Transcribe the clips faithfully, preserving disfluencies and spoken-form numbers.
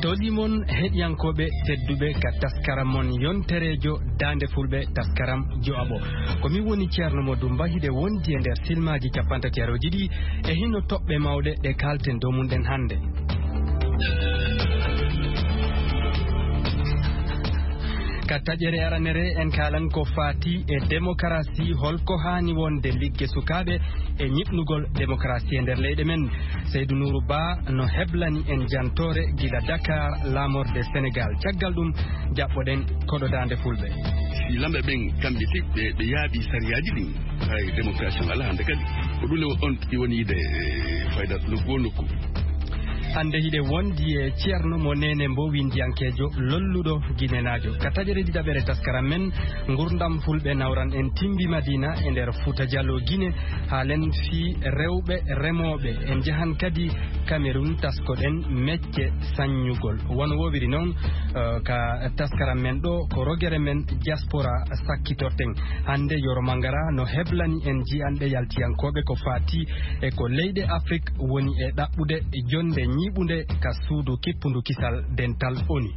Tolii mon heɗiyankooɓe tedduɓe ka taskaram mon yontereejo Daande Fulɓe, taskaram joaɓo. Ko min woni Ceerno Mo Dumba, hiɗe wondi e nder silmaaji cappantateerooji ɗi e hino toɓɓe mawɗe ɗe kaalten dow mum ɗen hannde. Ka taƴere aranere en kaalan ko faati e demokarasi, holko haani wonde ligge sukaaɓe e ñiɓnugol demokarasi e nder leyɗe men. Seydou Nourou Ba no heblani en jantoore gila Dakar, laamorde Senegal. Caggal ɗum, jaɓɓoɗen koɗo Daande Fulɓe. Si lamɓe ɓen kamɓe tigi ɓe, ɓe yaaɓi sariyaaji ɗin, hay démocratie on alaa hannde kadi. Ko ɗum le on ɗi woni yiide, e, fayda nokku o nokku. Hannde hiɗe wondi e Ceerno Mo Nene Mbo, winndiyankeejo lolluɗo ginenaajo. Ka taƴere ɗiɗaɓere taskaram men, ngurdam Fulɓe nawran en Timbi Madina e nder Fuuta Jaloo Gine, haalen fii rewɓe remooɓe. En njahan kadi Kamerun, taskoɗen mecce sanñugol. Wano woowiri non, eh, ka taskaram men ɗo, ko rogere men diaspora sakkitorten. Hannde Yoro Mangara no heblani en ji'anɗe yaltiyankooɓe ko faati e ko leyɗe Afrik woni e ɗaɓɓude jonnde ñiiɓunde ka suudu kippundu kisal dental O N U.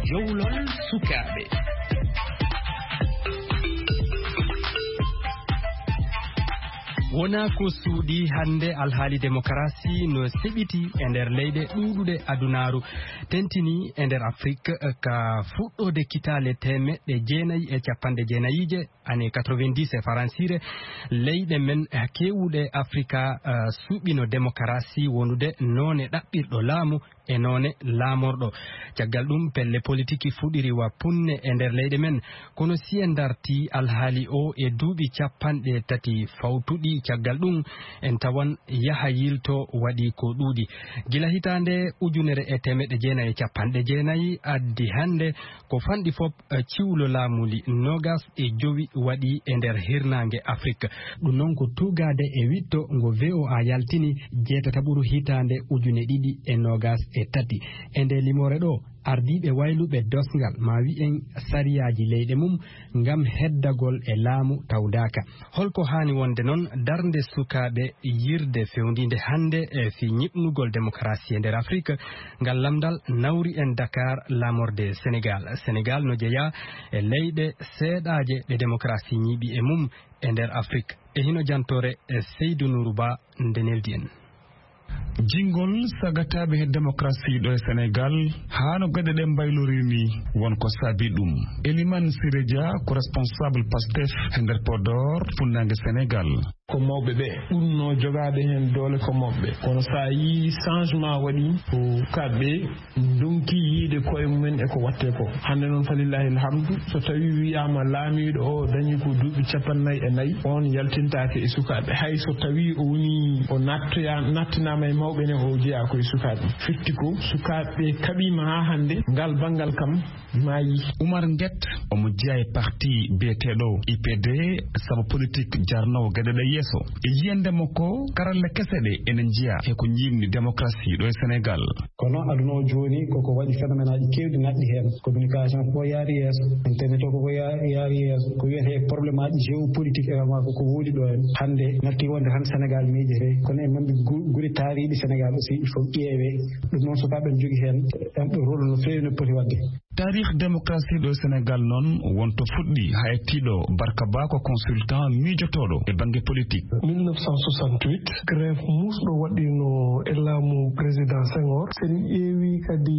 Jowlol sukaaɓe. Wonaa ko suuɗi hannde, alhaali demokarasi no seɓiti e nder leyɗe ɗuuɗuɗe adunaaru, tentini e nder Afrik, ka fuɗɗoode kitaale teemeɗɗe jeenayi e capanɗe jeenayiije, année quatre-vingt-dix e faransiire, leyɗe men keewuɗe Afrika, eh, suɓino demokarasi wonude noone ɗaɓɓirɗo laamu e noone laamorɗo. Caggal ɗum, pelle politiki fuɗiri wa punne e nder leyɗe men. Kono si en darti alhaali o e duuɓi capanɗe tati fawtuɗi caggal ɗum, en tawan yaha yilto waɗi ko ɗuuɗi. Gila hitaande ujunere e teemeɗɗe jeenayi e capanɗe jeenayi addi hannde, ko fanɗi fof, eh, ciwlo laamuli noogas e jowi waɗi e nder hirnaange Afrik. Ɗum noon ko tuugaade e wiɗto ngo V O A yaltini jeetataɓuru hitaande ujune ɗiɗi e noogas e tati. E nde limoore ɗo, ardiiɓe wayluɓe dosngal, ma wi'en sariyaaji leyɗe mum, ngam heddagol e laamu tawdaaka. Holko haani wonde noon darnde sukaaɓe yirde fewndiinde hannde e fii ñiɓnugol demokarasi e nder Afrik? Ngal lamndal nawri en Dakar, laamorde Senegal. Senegal no jeyaa e leyɗe seeɗaaje ɗe demokarasi ñiiɓi e mum e nder Afrik. E hino jantoore e Seydou Nourou Ba nde neldi en. Jingol sagataaɓe he démocratie ɗo e Sénégal, haa no geɗe ɗe mbaylorii ni, won ko saabi ɗum. Elimane Siré Dia ko responsable Pastef he nder Podor, funnaange Sénégal. Ko mawɓe ɓe ɓurnoo jogaade heen doole ko mawɓe. Kono so a yii changement waɗi, ko kamɓe ndonki yiide koye mumen e ko waɗtee ko. Hannde noon, falillaahi alhamdu, so tawii wiyaama laamiiɗo o dañi ko duuɓi cappannayi e nayi, oon yaltintaake e sukaaɓe. Hay so tawii o woni, o nattoya-, nattinaama e mawɓe ne, o jeyaa ko e sukaaɓe. Firti ko sukaaɓe kaɓiima haa hannde, ngal banngal kam maayi. Oumar Nguet, omo jeyaa e parti biyeteeɗo I P D, sabu politik jarnoowo geɗe ɗe yeeso. E yiyannde makko, karalle kese ɗe ene njiya he ko ñiiɓni démocratie ɗo e Sénégal. Kono aduna o jooni koko waɗi phénomène aji keewɗi naatɗi heen. Communication ko yaari yeeso, internet o koko ya-, yaari yeeso. Ko wiyetee problème aji géopolitique également koko woodi ɗo en. Hannde natti wonde tan Sénégal miijete. Kono e mambi gu-, guri taariiɗi Sénégal aussi, il faut ƴeewe. Ɗum noon sukaaɓe ne jogii heen, en ɗo rôle no feewi no poti waɗde. Taarih démocratie ɗo Sénégal noon wonto fuɗɗi haa e tiiɗo Barka Ba ko consultant miijotooɗo e bannge politique. Mille neuf cent soixante-huit, grève muusɗo waɗiino e laamu président Senghor. So en ƴeewi kadi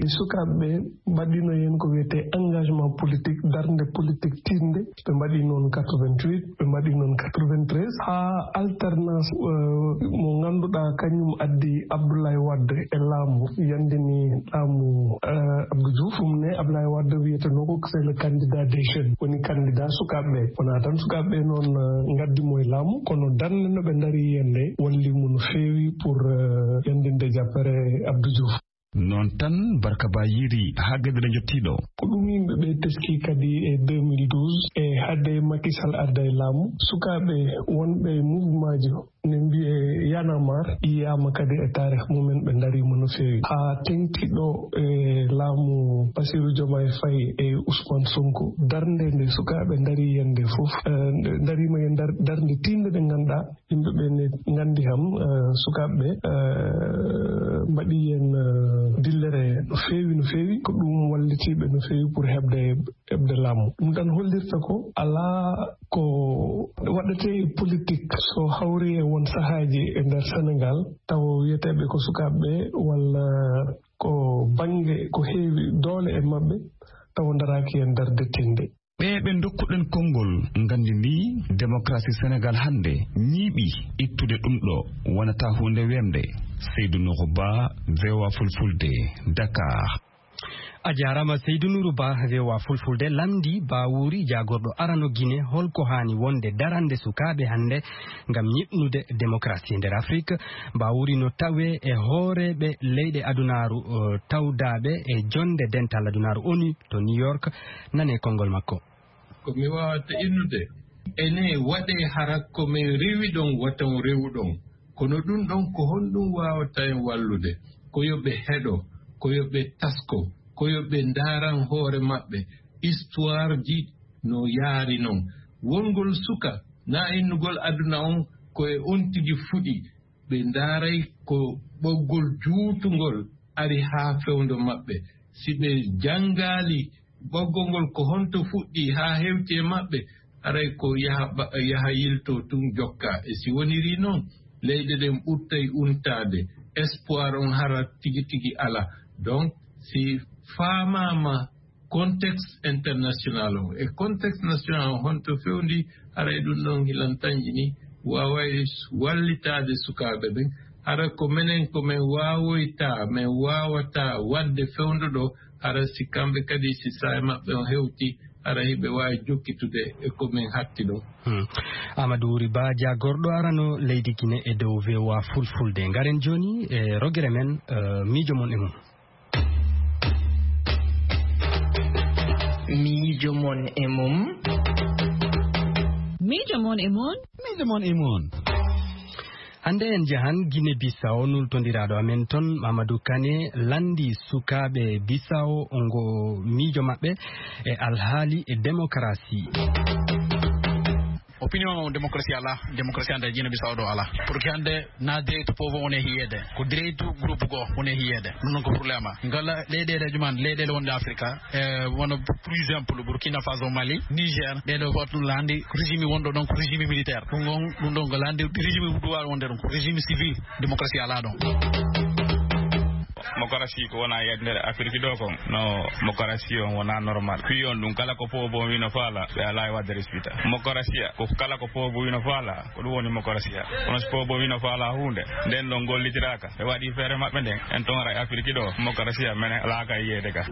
sukaaɓe ɓe mbaɗiino heen ko wiyetee engagement politique, darnde politique tiiɗnde. Ɓe mbaɗi noon quatre-vingt-huit, ɓe mbaɗi noon quatre-vingt-treize, haa alternance, eh, mo ngannduɗaa kañum addi Abdoulaye Wade e laamu, yanndini laamu, eh, Abdou Diouf. Ɗum ne Abdoulaye Wade wiyetenoo ko c'est le candidat des jeunes, woni candidat sukaaɓe ɓe. Wonaa tan sukaaɓe ɓe noon, eh, ngaddi mo e laamu, kono darnde no ɓe ndarii heen nde walli mo no feewi pour, eh, yanndinde jappere Abdou Diouf. Noon tan, Barka Ba yiiri haa geɗe ɗe njottii ɗo. Ko ɗum yimɓe ɓe teskii kadi e deux mille douze e Hadde Macky Sall arda e laamu, sukaaɓe wonɓe e mouvement ji ne mbiye Y'en a marre yiyaama kadi e taarih mumen, ɓe ndariima no feewi. Haa teŋti ɗo e laamu Bassirou Diomaye Faye e Ousmane Sonko, darnde nde sukaaɓe ndari yen nde fof, eh, nde ndariima yen dar-, darnde tiiɗnde nde ngannduɗaa yimɓe ɓe ne nganndi kam, eh, sukaaɓe ɓe, eh, mbaɗi yen, eh, dillere no feewi, no feewi. Ko ɗum wallitiiɓe no feewi pour heɓde, heɓde laamu. Ɗum tan hollirta ko alaa ko waɗetee e politik so hawri e won sahaaji e nder Senegaal, tawa wiyeteeɓe ko sukaaɓe ɓe walla ko bannge ko heewi doole e maɓɓe, tawa ndaraaki e nder dettiinde. Ɓe ɓe ndokkuɗen konngol nganndi ndi, démocratie Senegaal hannde ñiiɓi ittude ɗum ɗo, wonata huunde weemde. Seydou Nourou Ba, V O A Fulfulde, Dakar. A jaaraama Seydou Nourou Ba, V O A Fulfulde. Lamndi Bawuri, jaagorɗo arano Gine, holko haani wonde darande sukaaɓe hannde ngam ñiɓnude démocratie nder Afrik? Bawuri no tawee e hooreeɓe leyɗe adunaaru, eh, tawdaaɓe e jonnde dental adunaaru ONU to New York. Nane konngol makko. Ko mi waawata innude, ene waɗee hara ko men rewi ɗon wata on rewu ɗon. Kono ɗum ɗon ko honɗum waawata en wallude? Ko yo ɓe heɗo, ko yo ɓe tasko, ko yo ɓe ndaaran hoore maɓɓe, histoire ji no yaari non. Wongol suka, na innugol aduna on ko e on tigi fuɗi, ɓe ndaaray ko ɓoggol juutungol ari haa fewndo maɓɓe. Si ɓe janngaali ɓoggol ngol ko honto fuɗɗi haa hewti e maɓɓe, haray ko yaha ɓa-, yaha yilto tun jokka. E si woniri non, leyɗe ɗen ɓurtay untaade. Espoir on hara tigi tigi ala. Donc, si faamaama contexte international on e contexte national on honto fewndi, haray ɗum ɗon hilan tanƴini, waaway wallitaade sukaaɓe ɓen. Hara ko menen ko men waawoyta, men waawata waɗde fewndo ɗo, hara si kamɓe kadi si saa'i maɓɓe on hewti, hara hiɓe waawi jokkitude e ko men hatti ɗon. Hmm. Amadou Wuri Ba, jaagorɗo arano leydi Gine e dow V O A Fulfulde. Ngaren jooni e rogere men, eh, miijo mon e mum. Miijo mon e mum. Miijo mon e mum. Miijo mon e mum. Hannde en njahan Gine Bisawo, nultondiraaɗo amen ton, Mamadou Kane, lanndi sukaaɓe Bisawo ngo miijo maɓɓe e alhaali e demokarasi. Opinion o, démocratie alaa, démocratie hannde Gine Bisawo ɗo alaa. Pour que hannde na direct pouvoir woni e hiyeede, ko direct groupe goo woni e hiyeede. Ɗum noon ko problème. Ngala leyɗeele juman, leyɗeele wonde Afrika, e wano, pour exemple, Burkina Faso, Mali, Niger, ɗeɗo fof ɗum laandi régime wonɗo ɗon ko régime militaire. Ɗum ɗon, ɗum ɗon ko laandi régime duwaa wonde ɗum ko régime civil, démocratie alaa ɗon. Démocratie ko wona e nder Afrique ɗo kon. No, démocratie on wona normal. Fii on ɗum kala ko poobo wino faala, ɓe alaa e wadde respita. Démocratie ko kala ko poobo wino faala, ko ɗum woni démocratie. Kono si poobo wino faala huunde, nden ɗon gollitiraaka, ɓe waɗi feere maɓɓe nden, en ton ara e Afrique ɗo, démocratie mene alaa ka yiyeede ka.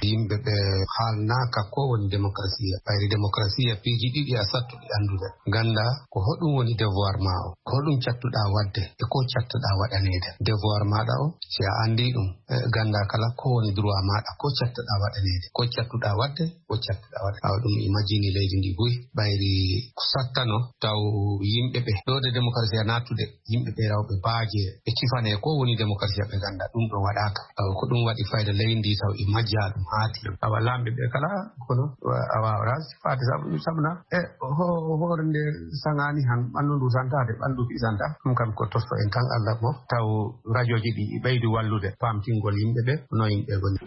Yimɓe ɓe haalnaaka ko woni démocratie. Ɓayri démocratie piiji ɗiɗi a sattuɗi anndude. Gannda ko hoɗum woni devoir ma o, ko hoɗum cattuɗaa waɗde e ko cattuɗaa waɗaneede. Devoir maaɗa o, si a anndii ɗum, eh, gannda kala ko woni droit maaɗa, ko cattuɗaa waɗaneede, ko cattuɗaa waɗde, ko cattuɗaa waɗa. Awa ɗum imagine leydi ndi buy, ɓayri ko sattano taw yimɓe ɓe. Ɗo de démocratie a nattude, yimɓe ɓe rewɓe baaje, ɓe cifane ko woni démocratie ɓe gannda ɗum ɗo waɗaaka. Awa ko ɗum waɗi fayda leydi ndi taw i majja ɗum haati. Awa laamɓe ɓe kala kono, wa-, a waawata faade sabu, sabu na, e ho-, hoore nde saŋaani han, ɓanndu ndu santaade, ɓanndu fi santa. Ɗum kam ko tosto en tan Allah mo, taw rajooji ɗi ɓeydi wallude, paamtingol yimɓe ɓe, no yimɓe ngoni.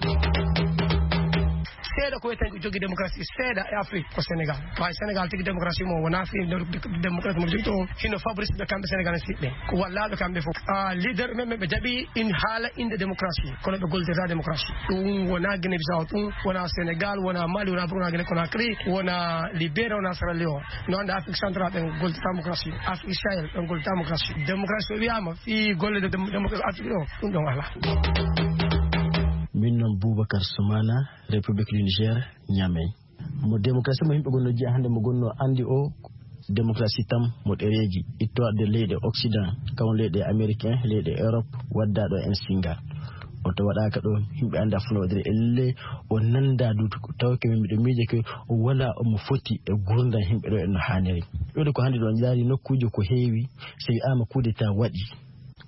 Seeɗa ko wiyeten ko jogii démocratie, seeɗa e Afrique ko Sénégal. Waawi Sénégal tigi démocratie mo wonaa fi-, démocratie mo jogii to hino Fabrice ɓe kamɓe Sénégal en siɓɓe. Ko wallaaɓe kamɓe fof. Ah, leader men ɓe jaɓi in haala innde démocratie, kono ɓe gollirta démocratie. Ɗum wonaa Guinée Bissau, ɗum wonaa Sénégal, wonaa Mali, wonaa Burkina, Guinée Conakry, wonaa Libéria, wonaa Sierra Leone. No annda Afrique centrale ɓen gollirta démocratie. Afrique Sahel ɓen gollirta démocratie. Démocratie so wiyaama fii golle de dem-, démocratie Afrique ɗo, ɗum ɗon alaa. Min noon Boubacar Soumana, République du Niger, Niamey. Mo démocratie mo yimɓe gonno jiya hannde mo gonno anndi o, démocratie tam mo ɗereeji, ittowaɗde leyɗe Occident, kam leyɗe américain, leyɗe Europe, waddaɗo en singa. O to waɗaaka ɗo, yimɓe anndaa fof no waɗiri. Elle o nanndaa duutu. Tawa ke miɗo miija ke o wala omo foti e gurdam yimɓe ɗo en no haaniri. Ɗoɗo ko hannde ɗo on jaari nokkuuji ko heewi, so wiyaama coup d'état waɗi.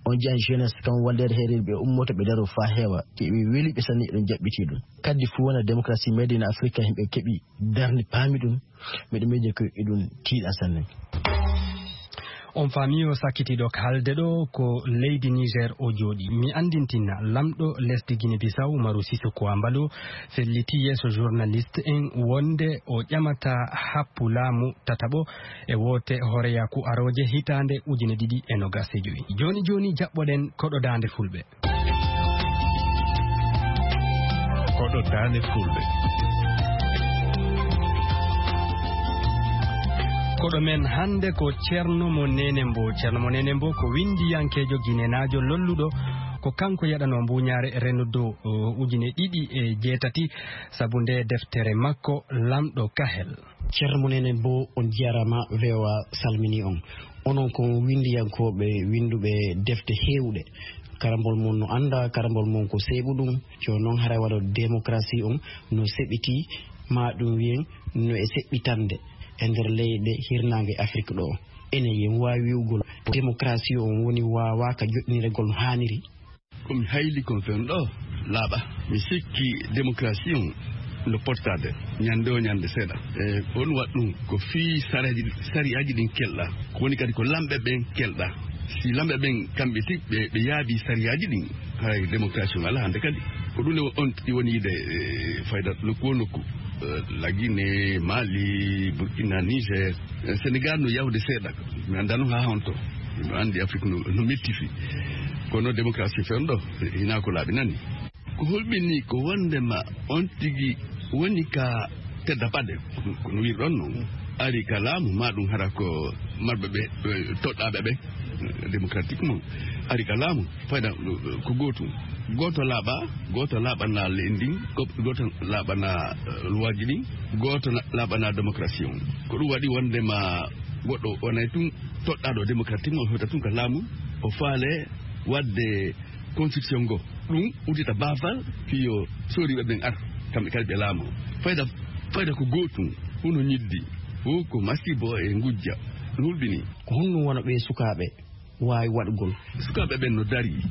On jiyani jeunesse kam walleede heereede ɓe ummoto ɓe daro faa heewa. Ke ɓe weli ɓe sanni eɗen jaɓɓiti ɗum. Kaddi fof wona démocratie made in Africa yimɓe keɓi darni paami ɗum. Miɗo miija ko eɗum tiiɗa sanne. On faami o sakkitiiɗo haalde ɗo ko leydi Niger o jooɗi. Mi anndintina lamɗo lesdi Guinée Bissau Umaru Sissoco Embaló felliti yeeso journaliste en wonde o ƴamata happu laamu tataɓo e woote hooreyaaku arooje hitaande ujine ɗiɗi e nogas e jowi. Jooni jooni jaɓɓoɗen koɗo daande fulɓe. Koɗo daande fulɓe. Koɗo men hannde ko Ceerno mo Neenembo. Ceerno mo Neenembo ko winndiyankeejo ginenaajo lolluɗo. Ko kanko yaɗanoo mbuuñaare Renaudot, o, ujine ɗiɗi e jeetati, sabu nde deftere makko Lamɗo Kahel. Ceerno mo Neenembo, on njaaraama, V O A salminii on. Onon ko winndiyankooɓe winnduɓe defte heewɗe. Karambol mon no annda, karambol mon ko seeɓuɗum. Jooni noon haray waɗo démocratie on no seɓitii, maa ɗum wiyen no e seɓɓitande e nder leyɗe hirnaange Afrik ɗo. Enen yen waawi wi'ugol démocratie on woni waawaaka joɗɗinirgol no haaniri? Ko mi hayli kon fen ɗo laaɓa. Mi sikki démocratie on no pottaade ñande o ñande seeɗa. E on waɗ ɗum ko fii sariyaaji, sariyaaji ɗin kelɗa. Ko woni kadi ko lamɓe ɓen kelɗa. Si lamɓe ɓen kamɓe tigi ɓe, ɓe yaabi sariyaaji ɗin, haray démocratie on alaa hannde kadi. Ko ɗum ne on ɗi woni yiide, e, fayda nokku o nokku. E, La Guinée, Mali, Burkina, Niger. E, Sénégal no yahude seeɗa. Mi anndaa noon haa honto. Miɗo anndi Afrik no, no metti fii. Kono démocratie fen ɗo, hinaa ko laaɓi nani. Ko hulɓinii ko wonndema on tigi woni ka tedda paɗe, ko no wirɗon noon. Ari ka laamu, maa ɗum hara ko marɓe ɓe, ɓe toɗɗaaɓe ɓe, démocratiquement. Ari ka laamu, fayda ko gootum. Gooto laaɓa, gooto laaɓana leydi ndin, ko-, gooto laaɓana, eh, luwaaji ɗin, gooto na-, laaɓana démocratie on. Ko ɗum waɗi wonndema goɗɗo wonay tun toɗɗaaɗo démocratiquement, o hewta tun ka laamu, o faale waɗde constitution ngo. Ɗum uddita baafal fii yo sooriiɓe ɓen ar, kamɓe kadi ɓe laamoo. Fayda, fayda ko gootum, huno ñiddi, fof ko masiibo e ngujja, no hulɓinii. Ko honɗum wona ɓee sukaaɓe waawi waɗugol? Sukaaɓe ɓen no darii,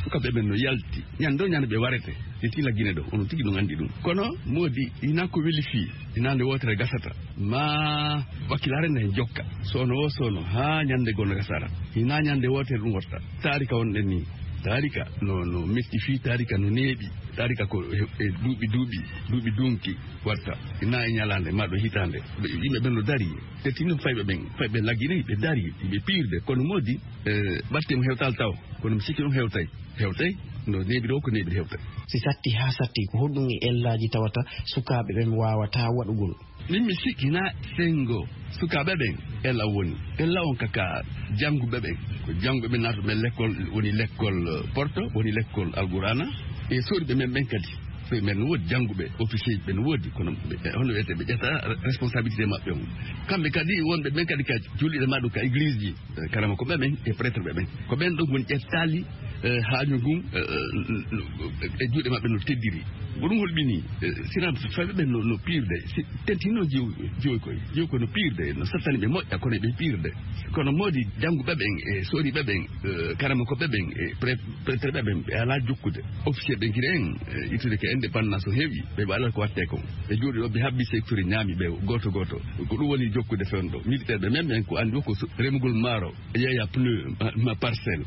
sukaaɓe ɓen no yalti, ñande o ñande ɓe warete, ɓe tila Gine ɗo, onon tigi no anndi ɗum. Kono moodi, hinaa ko weli fii, hinaa nde wootere gasata, maa wakkilaare nde jokka, soono o soono, haa ñande goo no gasara, hinaa ñande wootere ɗum watta. Taarika wonɗen nii, taarika no, no metti fii, taarika no neeɓi, taarika ko e, e duuɓi, duuɓi, duuɓi dunki watta, hinaa e ñalaande, maa ɗo hitaande. Ɓe, yimɓe ɓen no darii, te tinno fayɓe ɓen, fayɓe La Guinée, ɓe darii, ɓe piirde, kono moodi, e, batte mo hewtaali taw, kono mi sikki ɗum hewtay, hewtay, no neeɓi ɗo ko neeɓi hewtay. Si satti haa satti, ko honɗum e ellaaji tawata sukaaɓe ɓen waawataa waɗugol? Min mi sikki na senngo sukaaɓe ɓen, ella woni, ella on kaka jannguɓe ɓen, ko jannguɓe ɓen naatuɓe lekkol, woni lekkol, eh, Porto, woni lekkol Alqur'aana, e sooriiɓe men ɓen kadi. Sooriiɓe men no woodi, jannguɓe, officier ɓe no woodi, kono ɓe, hono wiyetee, ɓe ƴetta responsabilité maɓɓe on. Kamɓe kadi wonɓe ɓen kadi ka julɗi maa ɗum ka église ji, eh, karama ko ɓe ɓen e prêtre ɓe ɓen. Ko ɓen ɗon woni ƴettaali, eh, haaju ngun, eh, eh, e juuɗe maɓɓe no teddiri. Ko ɗum hulɓinii, eh, sinaa fayɓe ɓen no, no piirde, si tentinno jiw-, jiwoy koy. Jiwoy koy no piirde, no sattani ɓe moƴƴa, kono ɓe piirde. Kono moodi jannguɓe ɓen e sooriiɓe ɓen, eh, karama ko ɓe ɓen e pre-, prêtre ɓe ɓen, ɓe alaa jokkude. Officier ɓen kiri en, eh, ittude ko indépendance o heewi, ɓe ɓe alaa ko wattee kon. Ɓe jooɗi ɗo, ɓe habbi secteur ñaami ɓe gooto gooto. Ko ɗum woni jokkude fewndo. Militaire ɓe men ɓen ko anndi o ko so-, remugol maaro. Yeeya pneu ma, ma parcelle.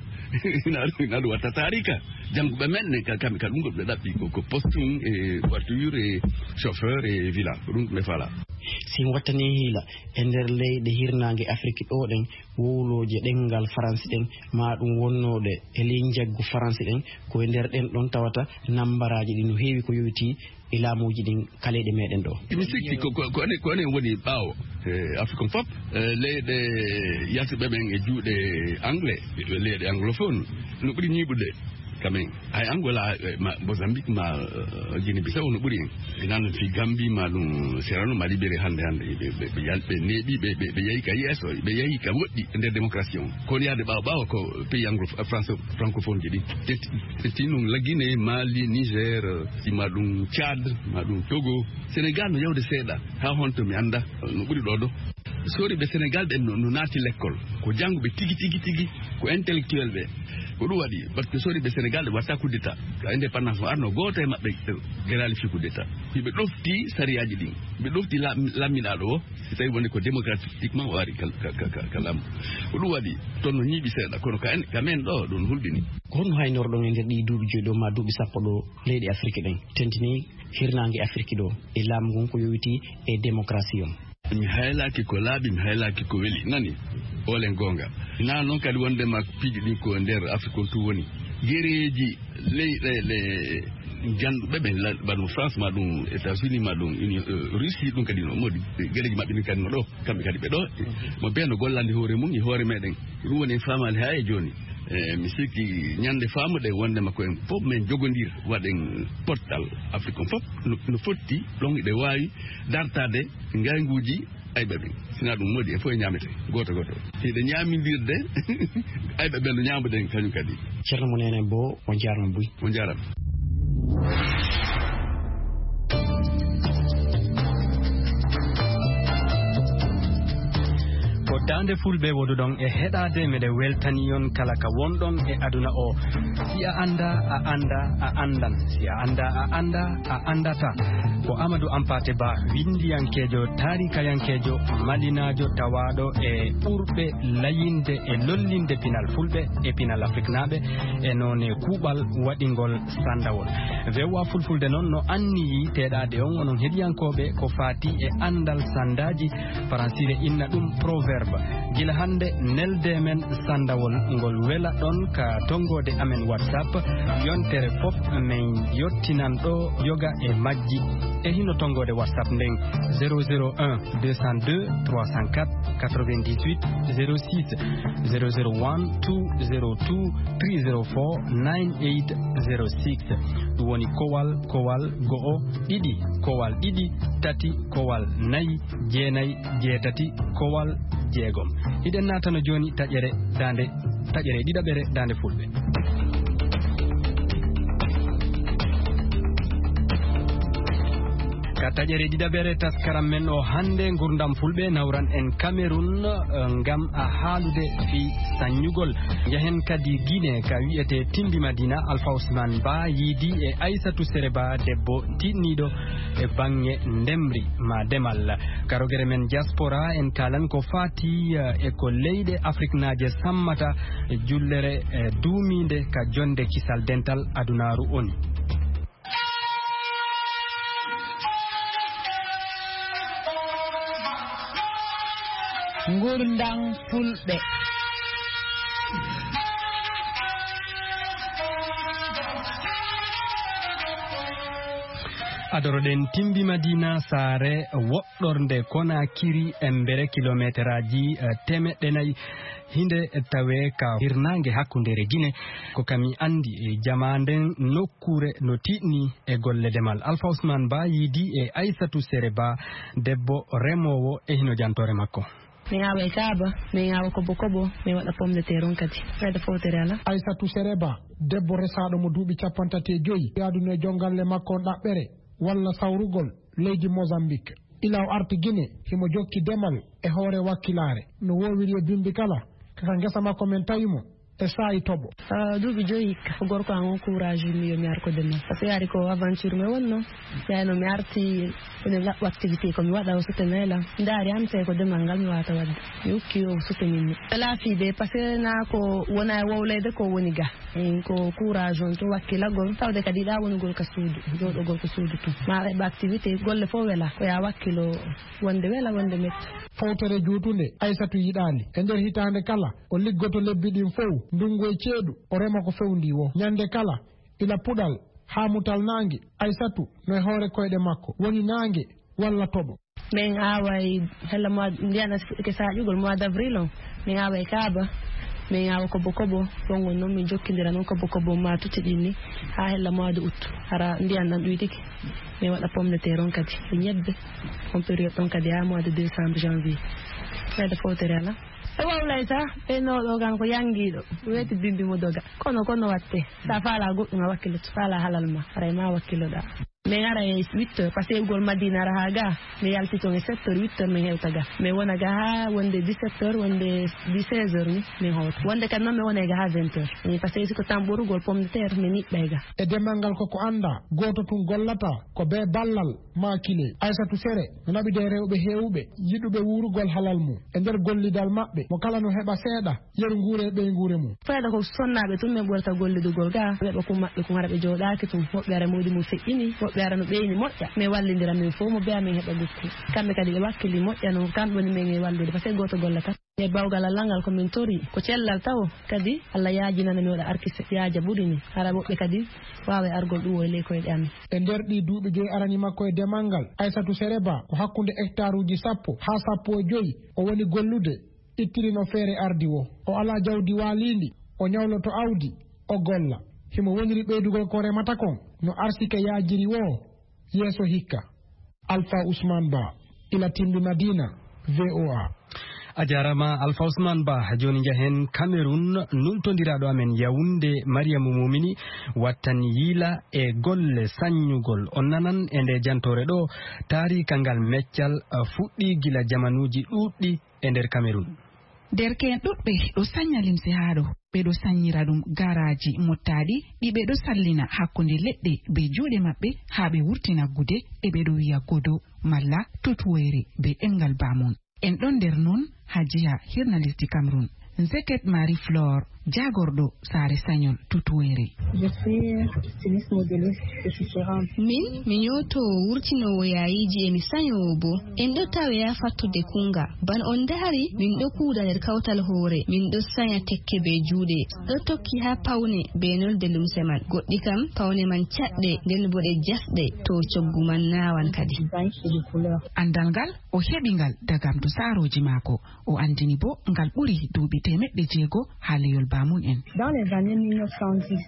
Ina, ina ɗum watta taarika. Jannguɓe men ne, ka-, kamɓe ka ɗum ɗo ɓe ɗaɓɓi ko, ko postum e voiture e chauffeur e villa. Ko ɗum ɓe fala. Si mi wattanii hiila, e nder leyɗe hirnaange Afrik ɗo ɗen, wowlooje ɗemngal Faransi ɗen, maa ɗum wonnooɗe e ley njaggu Faransi ɗen, ko e nder ɗen ɗon tawata nambaraaji ɗi no heewi ko yowitii e laamuuji ɗin ka leyɗe meɗen ɗo. Mi sikki ko, ko, ko enen, ko enen woni ɓaawo, e, Afrique on fof, e, leyɗe yaltuɓe ɓen e juuɗe anglais, leyɗe anglophone, no ɓuri ñiiɓude. Kamen, ay Angola, eh, ma Mozambique, ma eh, Guinée Bissau no ɓuri en. Ɓe nan fi Gambi ma ɗum Serano ma libéré hannde hannde ɓe ɓe ɓe yal ɓe neeɓi ɓe ɓe ɓe yahi ka yeeso ɓe yahi ka woɗɗi e nder démocratie on. Kono yaade ɓaawo ɓaawo ko pays anglo France francophone ji ɗi tetti tetti ɗum la Guinée, Mali, Niger, eh, si ma ɗum Tchad, ma ɗum Togo, Sénégal no yawde seeɗa. Ha honto mi annda no ɓuri ɗo ɗo. Sori ɓe Sénégal ɓen no no naati lekkol, ko jannguɓe tigi tigi tigi, ko intellectuel ɓe. Ko ɗum waɗi parce que sori ɓe Sénégal ɓe watta coup d'état ka indépendance mo arno gooto e maɓɓe. Geraali fi coup d'état hiɓe ɗofti sariyaaji ɗin, ɓe ɗofti lamminaaɗo o. Si tawi woni ko démocratiquement o ari ka ka ka ka lammu. Ko ɗum waɗi toon no ñiiɓi seeɗa kono ka en ka men ɗo ɗum hulɓini. Ko honno haynorɗon e nder ɗii duuɓi joyi ɗo ma duuɓi sappo ɗo leyɗe Afiriki ɗen tentini hirnaange Afiriki ɗo e laamu ngun ko yowiti e démocratie on? Mi haylaaki ko laaɓi, mi haylaaki ko weli nani. Olen goonga. Naa noon kadi wondema piiji ɗin ko nder Afiriki on tun woni gereeji leyɗeele njanɗuɓe ɓe, bano France ma ɗum États-Unis ma ɗum Union Russie ɗum kadi no modi gereeji maɓɓe ɗin kadi no ɗo. Kamɓe kadi ɓe ɗo mo bee no gollandi hoore mum e hoore meɗen. Ɗum woni en faamaali haa e jooni. E mi sikki ñande faamuɗe wondema ko en fof men jogondir waɗen pottal Afrique on fof no fotti ɗon iɗe waawi dartade ngaynguuji ayɓe ɓen. Sina ɗum modi e fof e ñaamete gooto gooto iɗe ñaamindirde. Ayɓe ɓen no ñaamuɗen kañum kadi. Ceerno mo nenen bo o jaarma buy. O jaarama. Ko daande fulɓe woduɗon e heɗaade meɗe weltani on kala ka wonɗon e aduna o. Si a annda a annda a anndan si a annda a annda a anndata. Ko Amadou Ampate Ba winndiyankeejo taarikayankeejo malinaajo tawaaɗo e ɓurɓe layinde e lollinde pinal fulɓe e pinal afriknaaɓe e noone kuuɓal waɗingol sanndawol. Vewa fulfulde noon no anniyi teɗaade on onon heɗiyankooɓe ko faati e anndal sanndaaji. Faransire inna ɗum proverbe. Gila hannde nelde men sanndawol ngol wela ɗon ka tonngoode amen WhatsApp. Yontere fof min yottinan ɗo yoga e majji. E hino tonngoode WhatsApp nden zéro zéro un deux cent deux trois cent quatre quatre-vingt-dix-huit zéro six, zéro zéro one two zéro two three zéro four nine eight zéro six. Ɗum woni kowal kowal go'o ɗiɗi kowal ɗiɗi tati kowal nayi jeenayi jeetati kowal jeegom. Hiɗen naatano jooni taƴere daande taƴere ɗiɗaɓere daande fulɓe. Ka taƴere ɗiɗaɓere taskaram men o hannde ngurdam fulɓe nawran en Cameroun ngam a haalude fii saññugol. Njahen kadi Guinée ka wi'etee Timbi Madina. Alpha Ousmane Ba yiidi e Aissatou Sere Ba debbo tiiɗniiɗo e baŋŋe ndemri ma demal. Ka rogere men diaspora en kaalan ko faati e ko leyɗe afriknaaje sammata jullere duumiinde ka jonnde kisal dental adunaaru on. Ngurndam fulɓe. Adoroɗen Timbi Madina saare woɗɗorde Konakiri embere kilometeraaji temeɗɗe nayi. Hinde tawe ka hirnaange hakkundeere Gine. Ko kami anndi e jamaa nden nokkuure no tiiɗni e golle demal. Alpha Ousmane Ba yiidi e Aissatou Sere Ba debbo remoowo e hino jantoore makko. Min awa e kaaba, min awa kobo kobo, min waɗa pomme de terre on kadi. Fayda fowtere ala. Aissatou Sere Ba debbo resaaɗo mo duuɓi cappantati e joyi yaadunoo e jonngalle makko on ɗaɓɓere walla sawrugol leydi Mozambique. Ila o arti Gine, himo jokki demal e hoore wakkilaare no woowiri e bimbi kala. Kaka ngesa makko men tawi mo e saa'i toɓo. Duuɓi joyi hikka, ko gorko an on courage mi yo mi ar ko demal. Parce que yaari ko aventure mi wonno. Yaano mi arti ene laɓɓo activité ko mi waɗa o sote meela. Ndaari an tawi ko demal ngal mi wawata waɗde. Mi ukki o sote min mi. Laafi de parce que na ko wona e wowleyde ko woni ga. Eyi ko courage on to wakkilagol tawde kadi yiɗa wonugol ka suudu jooɗogol ko suudu tun ma eɓa activité golle fof wela ko ya wakkilo wonde wela wonde metta. Fowtere juutunde Aysatu yiɗaali e nder hitaande kala o liggoto lebbi ɗin fow ndunngu e ceeɗu o rema ko fewndii woo ñannde kala ila puɗal haa mutal naange Aysatu no e hoore koyɗe makko woni naange walla toɓo. Min aaway hella mois ndiyana ke saƴugol mois d' avril on min aaway kaaba. Min awa kobo kobo, ɗon on noon min jokkindira noon kobo kobo ma tutti ɗin ni, haa hella mois de août. Hara ndiyan ɗan ɗuydike, min waɗa pomme de terre on kadi, e ñebbe, on période ɗon kadi haa mois de décembre, janvier. Ɓeyda fowtere ala. E wawlay sa, ɓeynooɗo kan ko yanngiiɗo, weeti bimbi mo doga. Kono, kono watte, sa faala goɗɗum a wakkiloto, faala halal ma, haray ma wakkiloɗa. Min ara e huit heures, parce que ugol Madina ara haa ga, mi yalti toon e sept heures, huit heures min hewta ga. Min wona ga haa wonde dix-sept heures, wonde seize heures ni min howta. Wonde kadi noon min wona ga haa vingt heures. Eh, parce que si ko tan ɓorugol pomme de terre, min niɓɓay ga. E demal ngal koko annda, gooto tun gollata, ko bee ballal, maa kile. Aysatu Sere, no naɓidee rewɓe heewɓe, yiɗuɓe wuurugol halal mum. E nder gollidal maɓɓe, mo kala no heɓa seeɗa, yeru nguure e ɓeynguure mum. Fayda ko sonnaaɓe tun min ɓurata gollidugol ga, ɓe ɓe kun maɓɓe kun hara ɓe jooɗaaki tun. Woɓɓe hara mawdi mum feƴƴini, woɓɓe hara no ɓeyni moƴƴa. Min wallindira min fof mo beya min heɓa gukku. Kamɓe kadi ɓe wakkili moƴƴa no, kamɓe woni min e wallude, parce que gooto gollata. E bawgal Allah ngal ko min tori, ko cellal tawo. Kadi Allah yaajinana mi waɗa arkise, yaaja ɓuri ni. Hara woɓɓe kadi waawa e argol ɗum o e ley koyɗe amin. E nder ɗii duuɓi joyi arani makko e demal ngal, Aysatu Sere Ba ko hakkunde hectaruuji sappo haa sappo e joyi o woni gollude. Ittiri no feere ardi wo. O alaa jawdi waaliindi, o ñawloto awdi, o golla. Himo woniri ɓeydugol ko remata kon, no arsike yaajiri wo, yeeso hikka. Alpha Ousmane Ba, ila Timbi Madina, V O A. A jaaraama, Alpha Ousmane Ba. Jooni njahen Cameroun, nultondiraaɗo amen Yaoundé, Mariama Momini, wattani yiila e golle saññugol. On nanan e nde jantoore ɗo, taariika ngal meccal, uh, fuɗɗii gila jamanuuji ɗuuɗɗi e nder Cameroun. Derke'en ɗuɗɓe ɗo sañña limse haa ɗo, ɓe ɗo saññira ɗum garaaji mottaaɗi, ɗi ɓe ɗo sallina hakkunde leɗɗe be juuɗe maɓɓe, haa ɓe wurtina gude, e ɓe ɗo wi'a godo malla tutuwoyre be ɗemngal baamun. En ɗon nder non haa jiha hirna lesdi Cameroun. Nzeket Marie Flore, jaagorɗo saare sañol tutuwoyre. Je suis styliste modéliste et tisserande. Min, mi ñootoowo wurtinoowo yaayiiji e mi sañoowo boo. En ɗo tawe haa fattude kuuŋga. Bana on ndahari, min ɗo kuuda nder kawtal hoore. Min ɗo saña tekke bee juuɗe. Ɗo tokki haa pawne bee nolde lumse man. Goɗɗi kam, pawne man caɗɗe, nden boo ɗe jasɗe, to coggu man naawan kadi. Anndal ngal, o heɓi ngal dagam dusaarooji maako. O anndini boo ngal ɓuri duuɓi teemeɗɗe jeego haa leyol baamun en. Dans les années mille neuf cent dix,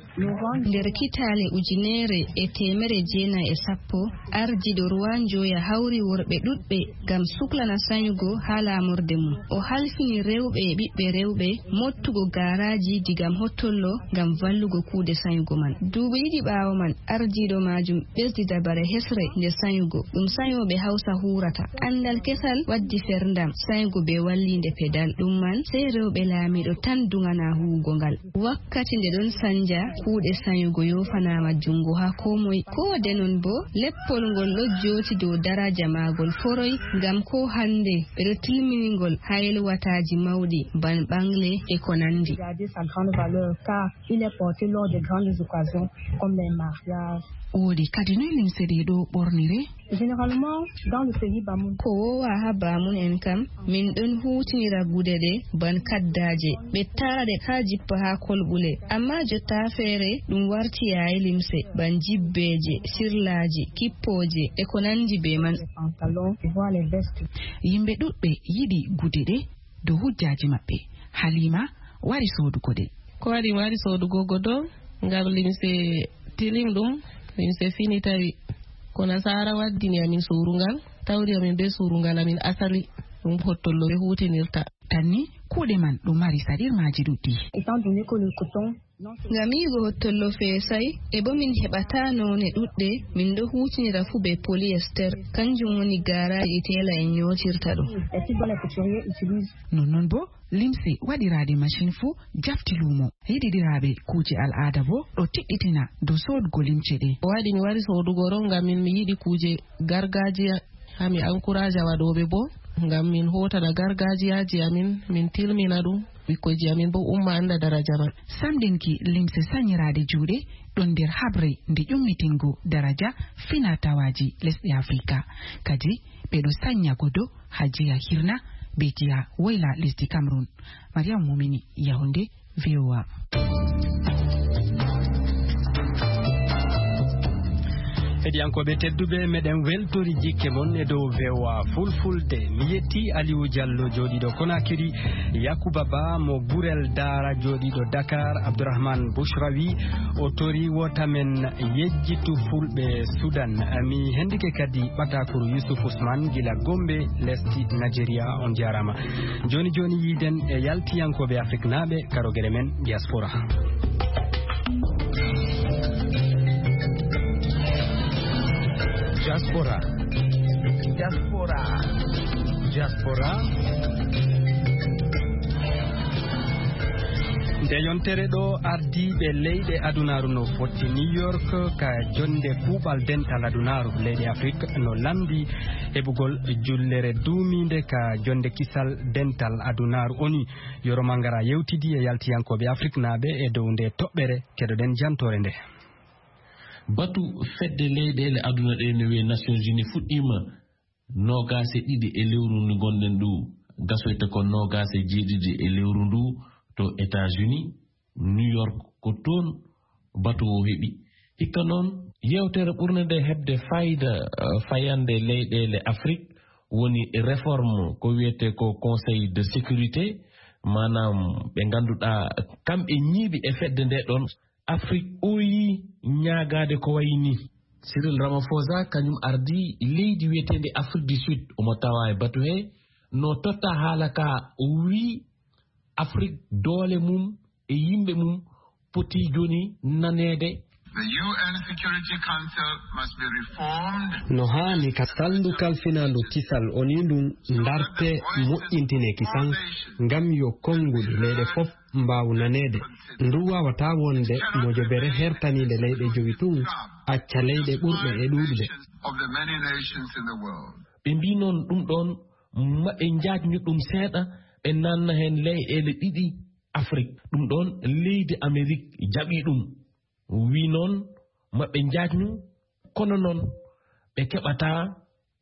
Nder kitaale ujineere e teemere jeenayi e sappo, ardiiɗo Ruwan Joya hawri worɓe ɗuɗɓe ngam suklana sañugo haa laamorde mum. O halfini rewɓe e ɓiɓɓe rewɓe mooɓtugo gaaraaji digam hottollo ngam vallugo kuuɗe sañugo man. Duuɓi ɗiɗi ɓaawo man, ardiiɗo maajum ɓesdi dabare hesre nde sañugo. Ɗum sañooɓe Hawsa huurata. Anndal kesal waddi ferndam sañugo bee walliinde pedal. Ɗum man, sey rewɓe laamiiɗo tan duŋanaa huuwugo ngal. Wakkati nde ɗon sanja, kuuɗe sañugo yoofanaama juŋngo haa koo moy. Koo de non boo, leppol ngol ɗo jooti dow daraja maagol foroy, ngam koo hannde ɓe ɗo tilmini ngol haa yelwataaji mawɗi, ban ɓaŋle e ko nanndi. Garder sa grande valeur, car il est porté lors des grandes occasions, comme les mariages. Woodi kadi noy limse ɗe ɗo ɓornire? Généralement, dans le pays Bamoun. Ko woowa haa baamun en kam, min ɗon huutinira gude ɗe ban kaddaaje. Ɓe taara ɗe haa jippa haa kolɓule. Ammaa jotta feere, ɗum warti yaayi limse, ban jibbeeje, sirlaaji, kippooje, e ko nanndi bee man. Les pantalons, tu vois, les vestes. Yimɓe ɗuɗɓe yiɗi gude ɗe dow hujjaaji maɓɓe. Halima wari soodugo ɗe. Ko waɗi mi wari soodugo godo? Ngam limse tilim ɗum, limse fini tawi. Ko nasaara waddini amin surungal, tawri amin bee surungal amin asali, ɗum hottollo ɓe huutinirta. Tan ni, kuuɗe man ɗo mari saɗirmaaji ɗuɗɗi. Étant donné que le coton, non, c'est Ngam yi'ugo hottollo feesay, e bo min heɓata noone ɗuɗɗe, min ɗo huutinira fuu bee polyester, kanjum woni gaaraaji teela en nyootirta ɗo. Et puis, bon, les couturiers utilisent. Nonnon bo, limse waɗiraaɗe machin fuu jafti luumo. Yiɗiɗiraaɓe kuuje al'aada boo ɗo tiɗɗitina dow soodgo limce ɗe. Ko waɗi mi wari soodugo ɗo, ngam min mi yiɗi kuuje gargaajiya. Haa mi ankuraaja waɗooɓe boo, ngam min hootana gargaajiyaaji amin, min tilmina ɗum, ɓikkoyji amin boo umma annda daraja man. Samɗinki limse sanyiraaɗe juuɗe ɗon nder haɓre nde ƴummitingo daraja fina tawaaji lesɗe Afrika. Kadi ɓe ɗo sanya godo haa jiha hirna be jiha woyla lesdi Cameroun. Mariam Mumini, Yaoundé, V O A. Heɗiyankooɓe tedduɓe, meɗen weltori jikke mon e dow V O A Fulfulde. Mi yetti Aliou Diallo jooɗiiɗo Konakiri, Yakuba Ba mo Gurel Daara jooɗiiɗo Dakar, Abdourahmane Bouchraoui, o tori wota men yejjitu fulɓe Sudan. Mi hendike kadi ɓatakuru Youssouf Ousmane gila Gombe, lesdi Nigeria. On jarama. Joni joni yiiden e yaltiyankooɓe Afriknaaɓe, karogere men diaspora. Diaspora. Diaspora. Diaspora. Nde yontere ɗo, ardiiɓe leyɗe adunaaru no fotti New York ka jonde kuuɓal dental adunaaru. Leyɗe Afrik no lamndi heɓugol jullere duumiinde ka jonde kisal dental adunaaru. Oni Yoro Mangara yewtidi e yaltiyankooɓe Afriknaaɓe e dow nde toɓɓere. Keɗoɗen jantoore nde. Batu fedde leyɗeele aduna ɗe no wiye Nations Unies fuɗɗiima noogaas e ɗiɗi e lewru ndu ngonɗen ndu, gasoyta ko noogaas e jeeɗiɗi e lewru ndu to États-Unis, New York, ko toon batu o heɓi. Hikka noon, yewtere ɓurnde nde heɓde fayda, eh, fayande leyɗeele Afrik woni réforme ko wiyetee ko Conseil de sécurité, maanaam ɓe ngannduɗaa kamɓe ñiiɓi e fedde nde ɗoon. Afrik ɓooyi ñaagaade ko wayi nii. Cyril Ramaphosa kañum ardii leydi wiyeteendi Afrique du Sud, omo tawaa e batu hee, no totta haala ka, o wii Afrik doole mum e yimɓe mum poti jooni naneede. The U N Security Council must be reformed. No haani ka salndu kalfinaandu kisal O N U ndun ndarte, moƴƴintine kisan, ngam yo konguɗi leyɗe fof mbaaw naneede. Ndu waawataa wonde mojobere hertaniinde leyɗe jowi tun, acca leyɗe ɓurɗe e ɗuuɗude. Of the many nations in the world. Ɓe mbii noon ɗum ɗoon maɓe njaajnu ɗum seeɗa, ɓe naanna heen leyɗeele ɗiɗi Afrik. Ɗum ɗoon leydi Amerik jaɓii ɗum. Wii noon maɓe njaajnu, kono noon ɓe keɓataa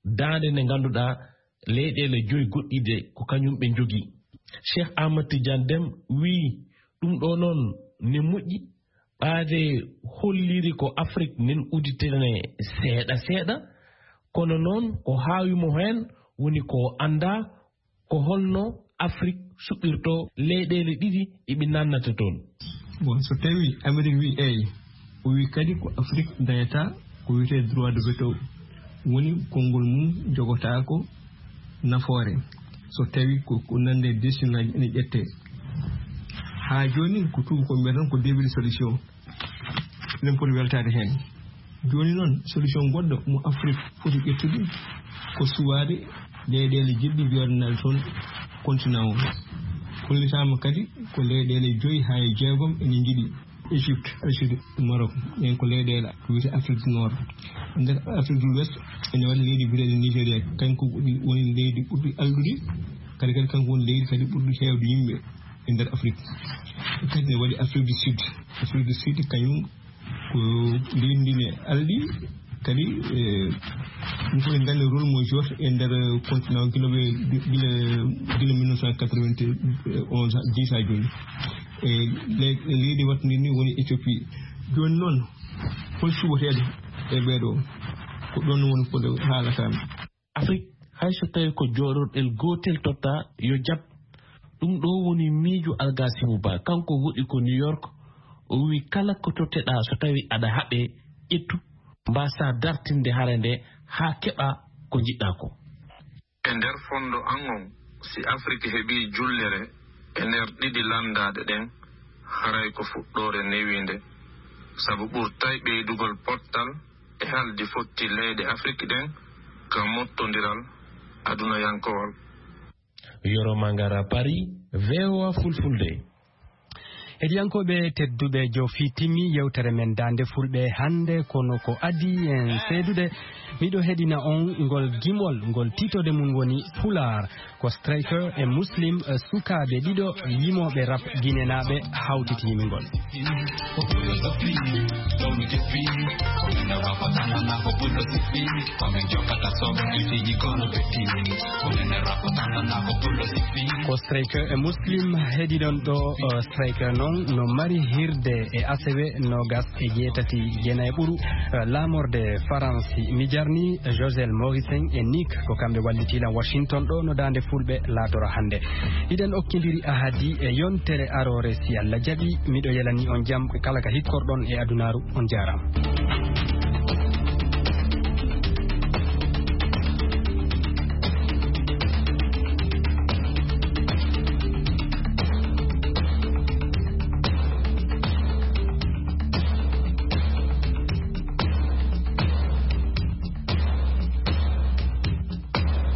daande nde ngannduɗaa leyɗeele joyi goɗɗi de ko kañum ɓe njogii. Cheikh Ahmad Tidiane Deme wii ɗum ɗo noon ne moƴƴi, ɓaade holliri ko Afrik nen uditene seeɗa seeɗa, kono noon ko haawi mo heen woni ko anndaa ko holno Afrik suɓirto leyɗeele ɗiɗi ɗi ɓe nannata toon. Bon, so tawi Amerik wi eey, o wi kadi ko Afrik dañata ko wiyetee droit de veto, woni konngol mum jogotaako nafoore. So tawi ko, ko nande décision ngaji ene ƴette. Haa jooni ko tuuba ko mbiyata ko début de solution. Eɗen poti weltaade heen. Jooni noon, solution goɗɗo mo Afrik foti ƴettude ko suwaade leyɗeele jiɗɗe jooɗanaade toon continent o. Hollitaama kadi ko leyɗeele joyi haa e jeegom ene njiɗi. Égypte, Algérie, Maroc, ɓen ko leyɗeele wiyetee Afrique du Nord. E nder Afrique du l'Ouest, ene waɗi leydi biyeteeɗi Nigéria, kañum ko ɓuri, woni leydi ɓurdi alɗude, kadi, kadi kanko woni leydi kadi ɓurdi heewde yimɓe e nder Afrique. Kadi ne waɗi Afrique du Sud. Afrique du Sud kañum ko leydi ndi ne alɗi, kadi, eh, ɗum fof en nganndi rôle mo jouata e nder continent o gila ɓe, gila, gila mille neuf cent quatre-vingt-onze, dix haa jooni. E le-, leydi waɗtundi ni woni Éthiopie. Jooni noon, hol suɓoteeɗo e ɓeeɗo? Ko ɗoon woni ko haalataa mi. Afrik, hay so tawii ko jooɗorɗel gootel totta, yo jaɓ. Ɗum ɗo woni miijo Algasimu Ba. Kanko woɗi ko New York. O wi kala ko totteɗaa so tawii aɗa haɓee, ƴettu, mbaasaa dartinde hare nde haa keɓaa ko njiɗɗaa ko. E nder fondo an on, si Afrik heɓii jullere e nder ɗiɗi lanndaaɗe ɗen, haray ko fuɗɗoore newiinde, sabu ɓurtay ɓeydugol pottal e haldi fotti leyɗe Afrik ɗen ka mottondiral adunayankowal. Yoro Mangara Paris, V O A Fulfulde. Heɗiyankooɓe tedduɓe, jofi timmi yewtere men Daande Fulɓe hannde, kono ko adii en seedude, miɗo heɗina on ngol gimol, ngol tiitode mum woni Pulaar. Ko Striker e Muslim, eh, sukaaɓe ɗiɗo yimooɓe rap ginenaaɓe hawtiti yimɓe ngol. Ko Striker e Muslim heɗiɗon ɗo, eh, Striker no On no mari hirde e asewe noogas e jeetati jeenay ɓuru, eh, laamorde Faransi. Mi jarni Josel Morisen e Nick, ko kamɓe wallitiilan Washington ɗo no daande fulɓe laatora hannde. Hiɗen okkindiri ahadi e yontere aroore si Allah jaɓi. Miɗo yelani on jam kala ka hikkorɗon e adunaaru. On jaaraama.